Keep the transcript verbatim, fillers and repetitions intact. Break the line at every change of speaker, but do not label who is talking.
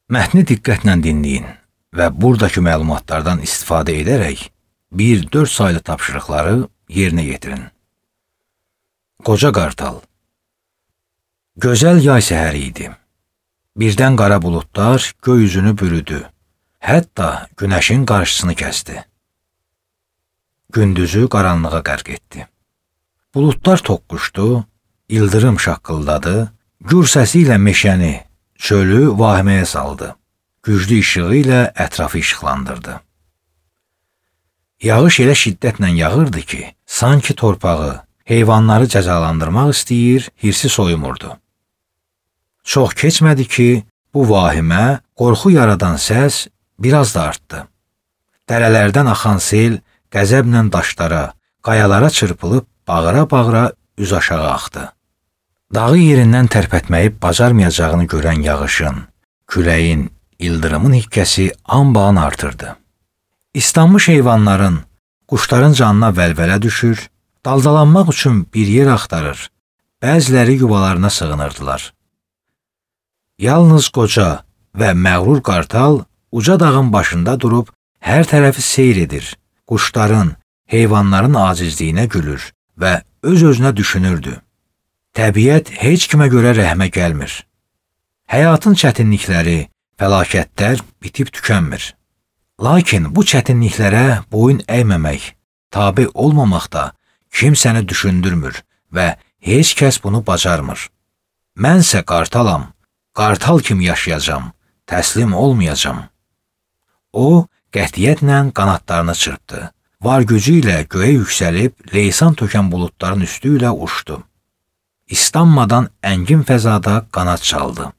Mətni diqqətlə dinləyin və buradakı məlumatlardan istifadə edərək bir dörd saylı tapşırıqları yerinə yetirin. Qoca qartal. Gözəl yay səhəri idi. Birdən qara buludlar göy üzünü bürüdü. Hətta günəşin qarşısını kəsdi. Gündüzü qaranlığa qərq etdi. Buludlar toqquşdu, ildırım şaqqıldadı, gür səsi ilə meşəni, çölü vahiməyə saldı. Güclü işığı ilə ətrafı işıqlandırdı. Yağış elə şiddətlə yağırdı ki, sanki torpağı, heyvanları cəzalandırmaq istəyir, hirsi soyumurdu. Çox keçmədi ki, bu vahimə, qorxu yaradan səs biraz da artdı. Dərələrdən axan sel qəzəblə daşlara, qayalara çırpılıb bağıra-bağıra üz aşağı axdı. Dağı yerindən tərpətməyib bacarmayacağını görən yağışın, küləyin, ildırımın hikkəsi anbaan artırdı. İslanmış heyvanların, quşların canına vəlvələ düşür, daldalanmaq üçün bir yer axtarır, bəziləri yuvalarına sığınırdılar. Yalnız qoca və məğrur qartal uca dağın başında durub hər tərəfi seyr edir, quşların, heyvanların acizliyinə gülür və öz-özünə düşünürdü. Təbiət heç kimə görə rəhmə gəlmir. Həyatın çətinlikləri, fəlakətlər bitib tükənmir. Lakin bu çətinliklərə boyun əyməmək, tabe olmamaq da kimsəni düşündürmür və heç kəs bunu bacarmır. Mənsə qartalam, qartal kimi yaşayacam, təslim olmayacam. O, qətiyyətlə qanadlarını çırpdı. Var gücü ilə göyə yüksəlib, leysan tökən buludların üstü ilə uçdu. İslanmadan əngin fəzada qanad çaldı.